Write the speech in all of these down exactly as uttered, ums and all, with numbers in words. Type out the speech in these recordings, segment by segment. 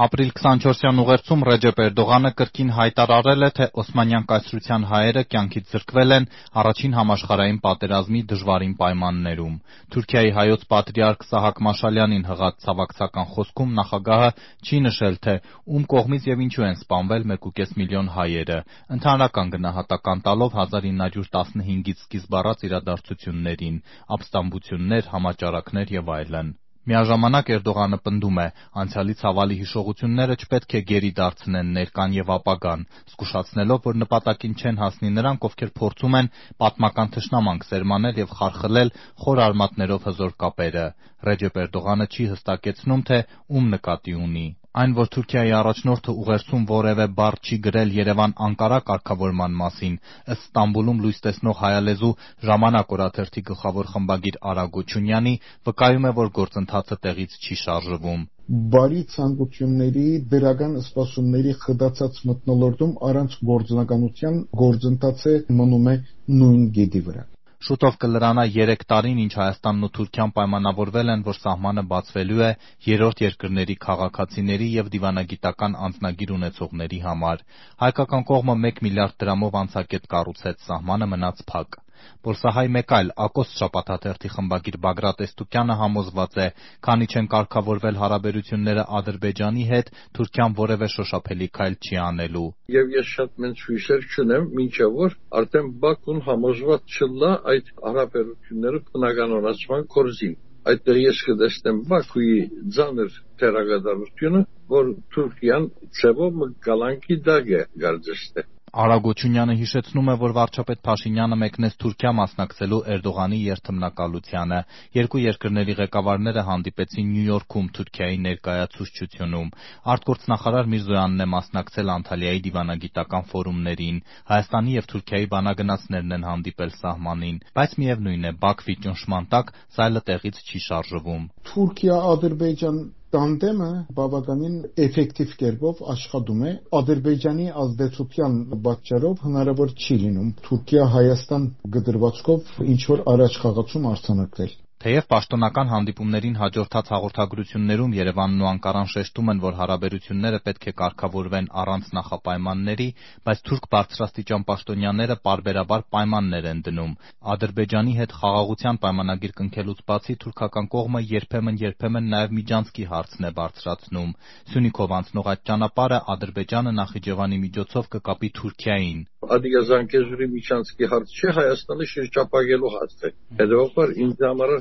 Ապրիլ քսանչորսյան ուղերձում Ռեջեփ Էրդողանը կրկին հայտարարել է, թե Օսմանյան կայսրության հայերը կյանքից զրկվել են Առաջին համաշխարհային պատերազմի դժվարին պայմաններում։ Թուրքիայի հայոց պատրիարք Սահակ Մաշալյանին հղած ցավակցական խոսքում նախագահը չի նշել, թե ում կողմից եւ ինչու են սպանվել մեկուկես միլիոն հայերը, ընդհանրական գնահատական տալով հազար ինը հարյուր տասնհինգից սկիզբ առած իրադարձություններին՝ ապստամբություններ, համաճարակներ եւ այլն։ Միաժամանակ Էրդողանը պնդում է՝ անցյալի ցավալի հիշողությունները չպետք է գերի դարձնեն ներկան եւ ապագան, զգուշացնելով, որ նպատակին չեն հասնի նրանք, ովքեր փորձում են պատմական թշնամանք սերմանել եւ խարխլել խոր արմատներով հզոր կապերը։ Ռեջեփ Էրդողանը չի հստակեցնում, թե ում նկատի ունի։ Այն, որ Թուրքիայի առաջնորդը ուղերձում որևէ բառ չի գրել Երևան-Անկարա կարգավորման մասին, ըստ Ստամբուլում լույս տեսնող հայալեզու «Ժամանակ» օրաթերթի գլխավոր խմբագիր Արա Գոչունյանի, վկայում է, որ գործընթացը տեղից չի շարժվում։ Բարի ցանկությունների, դրական սպասումների խդացած մթնոլորտում առանց գործնականության գործընթացը մնում է նույն գետի վրա։ Շուտով կլրանա երեք տարին, ինչ Հայաստանն ու Թուրքիան պայմանավորվել են, որ սահմանը բացվելու է երրորդ երկրների քաղաքացիների եւ դիվանագիտական անձնագիր ունեցողների համար։ Հայկական կողմը մեկ միլիարդ դրամով անցակետ կառուցեց, սահմանը մնաց փակ։ Պոլսահայ մեկ այլ «Ակոստ» շաբաթաթերթի խմբագիր Բագրատ Էստուկյանը համոզված է, քանի չեն կարգավորվել հարաբերությունները Ադրբեջանի հետ, Թուրքիան որևէ շոշափելի քայլ չի անելու։ Եվ ես շատ մեծ հույսեր չունեմ, մինչև որ արդեն Բաքուն համոզված չլա այդ հարաբերությունները բնականոնացման կորզին։ Այդտեղ ես կտեսնեմ Բաքուի ծանր թերագադարությունը, որ Թուրքիան ցեվով գալանքի դագ է գարձստե։ Արա Գոչունյանը հիշեցնում է, որ վարչապետ Փաշինյանը մեկնեց Թուրքիա մասնակցելու Էրդողանի երթմնակալությանը։ Երկու երկրների ղեկավարները հանդիպեցին Նյու Յորքում Թուրքիայի ներկայացուցչությունում։ Արտգործնախարար Միրզոյանն է մասնակցել Անտալիայի դիվանագիտական ֆորումներին։ Հայաստանի եւ Թուրքիայի բանագնացներն են հանդիպել սահմանին, բայց միևնույն է, Բաքվի ճնշման տակ սայլը տեղից չի շարժվում։ Թուրքիա-Ադրբեջան տանդեմը բավականին էֆեկտիվ կերպով աշխատում է։ Ադրբեջանի ազդեցության պատճառով հնարավոր չի լինում Թուրքիա-Հայաստան գդրվածքով ինչ-որ առաջխաղացում արձանագրել։ Թեև պաշտոնական հանդիպումներին հաջորդած հաղորդագրություններում Երևանն ու Անկարան շեշտում են, որ հարաբերությունները պետք է կարգավորվեն առանց նախապայմանների, բայց թուրք բարձրաստիճան պաշտոնյաները պարբերաբար պայմաններ են դնում։ Ադրբեջանի հետ խաղաղության պայմանագիր կնքելուց բացի թուրքական կողմը երբեմն-երբեմն նաև միջանցքի հարցն է բարձրացնում։ Սյունիքով անցնող այդ ճանապարհը Ադրբեջանը Նախիջևանի միջոցով կկապի Թուրքիային։ Ադիգազանկեզուրի միջանցքի հարց չէ, Հայաստանը շրջապակելու հարց է։ Հետևաբար ինձ համար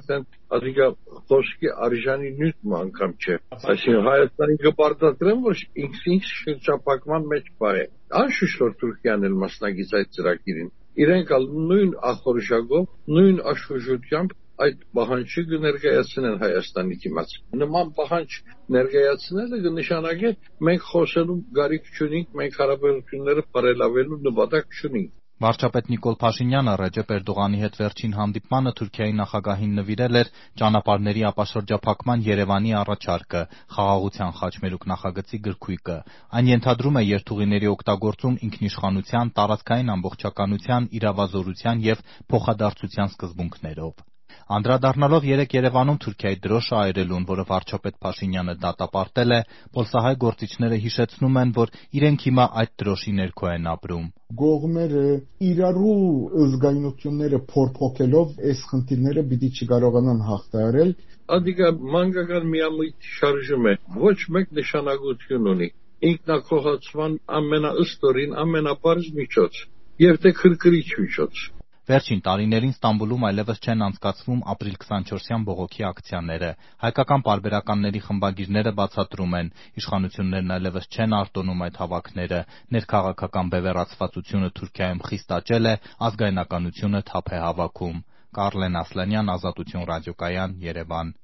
Ադիգա խոսքի արժանի նյութ անգամ չէ։ Այսինքն Հայաստանին կպարտադրեմ, որ ինքս շրջապակման մեջ պահ է։ Անշուշտ որ Թուրքիան էլ մասնակից այդ ծրագիրին։ Իրենք նույն ախորժակով, նույն աշխուժությամբ այդ պահանջը կներկայացնեն Հայաստանի դիմաց։ Նման պահանջ ներկայացնելը կնշանակի մենք խոսելու կարիք չունենք, մենք հարաբերությունները բարելավելու նպատակ չունենք։ Վարչապետ Նիկոլ Փաշինյանը Ռեջեփ Էրդողանի հետ վերջին հանդիպմանը Թուրքիայի նախագահին նվիրել էր ճանապարհների ապաշրջափակման Երևանի առաջարկը, Խաղաղության խաչմերուկ նախագծի գրքույկը։ Այն ենթադրում է երթուղիների օգտագործում ինքնիշխանության, տարածքային ամբողջականության, իրավազորության եւ փոխադարձության սկզբունքներով։ Անդրադառնալով երեկ Երևանում Թուրքիայի դրոշը այրելուն, որը վարչապետ Փաշինյանը դատապարտել է, պոլսահայ գործիչները հիշեցնում են, որ իրենք հիմա այդ դրոշի ներքո են ապրում։ Կողմերը իրարու զգայունությունները փորփոքելով այս խնդիրները պիտի չկարողանան հաղթահարել։ Ադիգա մանկական միամիտ շարժում է, ոչ մեկ նշանակություն ունի։ Ինքնակողացման ամենաըստորին, ամենապարզ միջոց եւ թե քրքրիչ միջոց։ Վերջին տարիներին Ստամբուլում այլևս չեն անցկացվում ապրիլ քսանչորսյան բողոքի ակցիաները։ Հայկական պարբերականների խմբագիրները բացատրում են, իշխանություններն այլևս չեն արտոնում այդ հավաքները, ներքաղաքական բևեռացվածությունը Թուրքիայում խիստ աճել է, ազգայնականությունը թափ է հավաքում։ Կարլեն Ասլանյան, Ազատություն ռադիոկայան, Երևան։